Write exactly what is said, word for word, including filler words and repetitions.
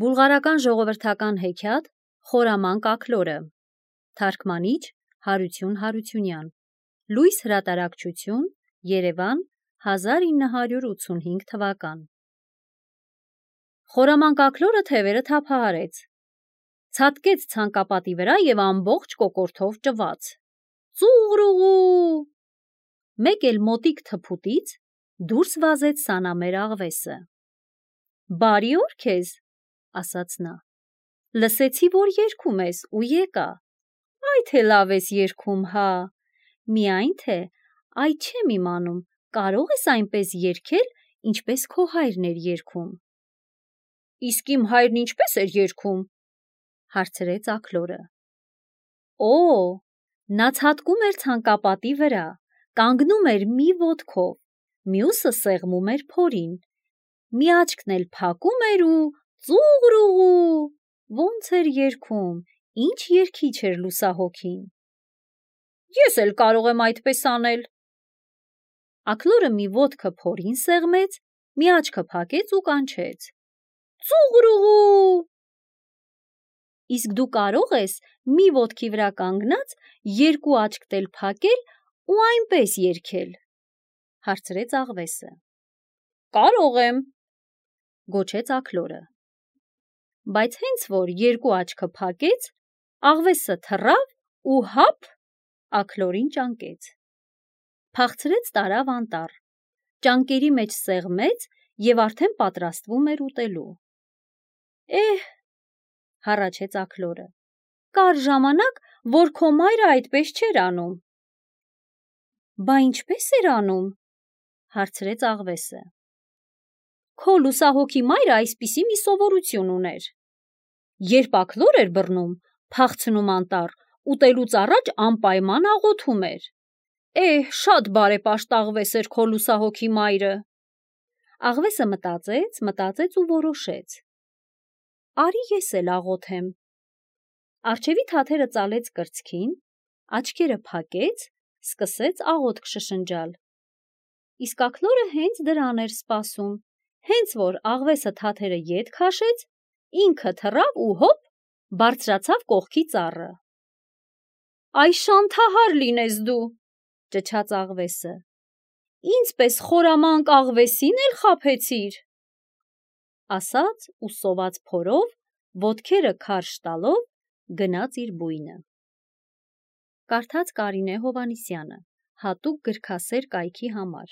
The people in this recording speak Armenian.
Բուլղարական ժողովրդական հեքիաթ Խորամանկ աքլորը Թարգմանիչ Հարություն Հարությունյան Լույս հրատարակչություն Երևան հազար ինը հարյուր ութսունհինգ թվական Խորամանկ աքլորը թևերը թափահարեց, ցատկեց ցանկապատի վրա և ամբողջ կոկորդով ճված: Ծուղրուղու! Մեկ էլ մոտիկ թփուտից դուրս վազեց սանամեր աղվեսը: Բարի օր քեզ, ասաց նա, լսեցի, որ երգում ես ու եկա: Այ թե լավ ես երգում, հա, միայն թե այ չեմ իմանում կարո՞ղ ես այնպես երգել, ինչպես քո հայրն էր երգում: Իսկ իմ հայրն ինչպե՞ս էր երգում: հարցրեց աքլորը: Օ, նա ցատկում էր ցանկապատի վրա, կանգնում էր մի ոտքով, մյուսը սեղմում էր փորին, մի աչքն էլ փակում էր ու ծուղրուղու, ոնց էր երգում, ինչ երգիչ էր լուսահոգին: Ես էլ կարող եմ այդպես անել: Աքլորը մի ոտքը փորին սեղմեց, մի աչքը փակեց ու կանչեց. Ծուղրուղու: Իսկ դու կարող ես մի ոտքի վրա կանգնած երկու աչքդ էլ փակել ու այնպես երգել: հարցրեց աղվեսը: Կարող եմ, գոչեց աքլորը: Բայց հենց որ երկու աչքը փակեց, աղվեսը թռավ ու հափ աքլորին ճանկեց: Փախցրեց տարավ անտառ, ճանկերի մեջ սեղմեց և արդեն պատրաստվում էր ուտելու: Էհ, հառաչեց աքլորը, կար ժամանակ, որ քո մայրը այդպես չէր անում: Բա ինչպե՞ս էր անում: հարցրեց աղվեսը: Քո լուսահոգի մայրը այսպիսի մի սովորություն ուներ: Երբ աքլոր էր բռնում, փախցնում անտառ, ուտելուց առաջ անպայման աղոթում էր: Էհ, շատ բարեպաշտ աղվես էր քո լուսահոգի մայրը: Աղվեսը մտածեց, մտածեց ու որոշեց. Արի ես էլ աղոթեմ: Առջևի թաթերը ծալեց կրծքին, աչքերը փակեց, սկսեց աղոթք շշնջալ: Իսկ աքլորը հենց դրան էր սպասում, հենց որ աղվեսը թաթերը ետ քաշեց, ինքը թռավ ու հոպ, բարձրացավ կողքի ծառը: Այ շանթահար լինես դու, ճչաց աղվեսը, ինձ պես խորամանկ աղվեսին էլ խաբեցիր: Ասաց ու սոված փորով, ոտքերը քարշ տալով գնաց իր բույնը: Կարդաց Կարինե Հովհաննիսյանը, հատուկ գրքասեր կայքի համար: